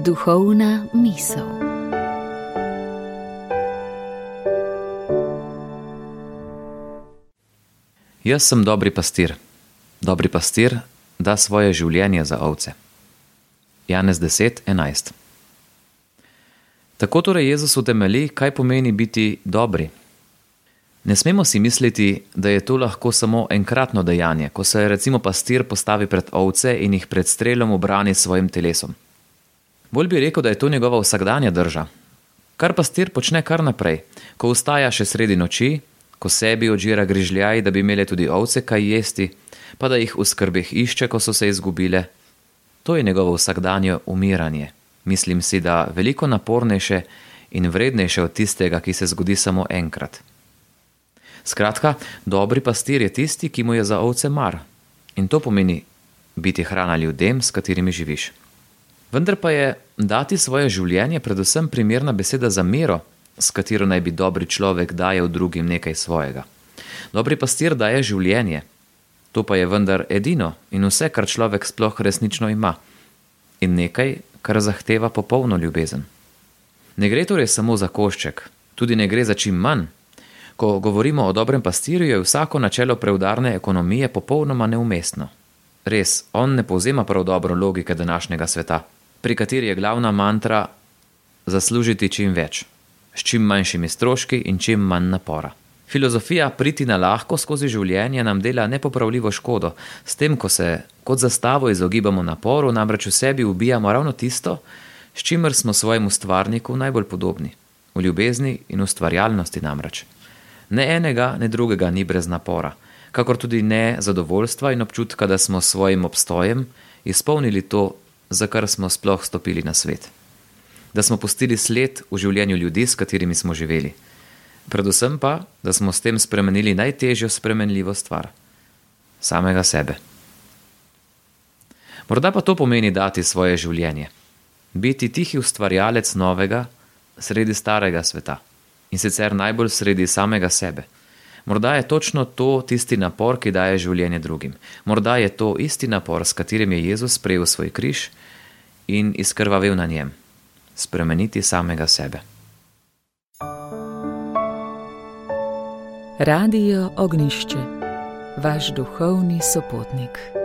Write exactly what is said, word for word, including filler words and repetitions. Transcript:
Duhovna misel. Jaz sem dobri pastir. Dobri pastir da svoje življenje za ovce. Janez deset enajst. Tako torej Jezus utemelji, kaj pomeni biti dobri. Ne smemo si misliti, da je to lahko samo enkratno dejanje, ko se recimo pastir postavi pred ovce in jih pred strelom ubrani s svojim telesom. Bolj bi rekel, da je to njegova vsakdanja drža. Kar pastir počne kar naprej, ko vstaja še sredi noči, ko sebi odžira grižljaj, da bi imele tudi ovce kaj jesti, pa da jih v skrbeh išče, ko so se izgubile. To je njegovo vsakdanje umiranje. Mislim si, da veliko napornejše in vrednejše od tistega, ki se zgodi samo enkrat. Skratka, dobri pastir je tisti, ki mu je za ovce mar. In to pomeni biti hrana ljudem, s katerimi živiš. Vendar pa je dati svoje življenje predvsem primerna beseda za mero, s katero naj bi dobri človek dajal drugim nekaj svojega. Dobri pastir daje življenje. To pa je vendar edino in vse, kar človek sploh resnično ima. In nekaj, kar zahteva popolno ljubezen. Ne gre torej samo za košček, tudi ne gre za čim manj. Ko govorimo o dobrem pastirju, je vsako načelo preudarne ekonomije popolnoma neumestno. Res, on ne povzema prav dobro logike današnjega sveta, pri kateri je glavna mantra zaslužiti čim več, s čim manjšimi stroški in čim manj napora. Filozofija priti na lahko skozi življenje nam dela nepopravljivo škodo, s tem, ko se kot zastavo izogibamo naporu, namreč v sebi ubijamo ravno tisto, s čimer smo svojemu stvarniku najbolj podobni. V ljubezni in ustvarjalnosti namreč. Ne enega, ne drugega ni brez napora, kakor tudi ne zadovoljstva in občutka, da smo s svojim obstojem izpolnili to, za kar smo sploh stopili na svet. Da smo pustili sled v življenju ljudi, s katerimi smo živeli. Predvsem pa, da smo s tem spremenili najtežjo spremenljivo stvar. Samega sebe. Morda pa to pomeni dati svoje življenje. Biti tihi ustvarjalec novega sredi starega sveta. In sicer najbolj sredi samega sebe. Morda je točno to tisti napor, ki daje življenje drugim. Morda je to isti napor, s katerim je Jezus sprejel svoj križ in izkrvavel na njem. Spremeniti samega sebe. Radio Ognjišče, vaš duhovni sopotnik.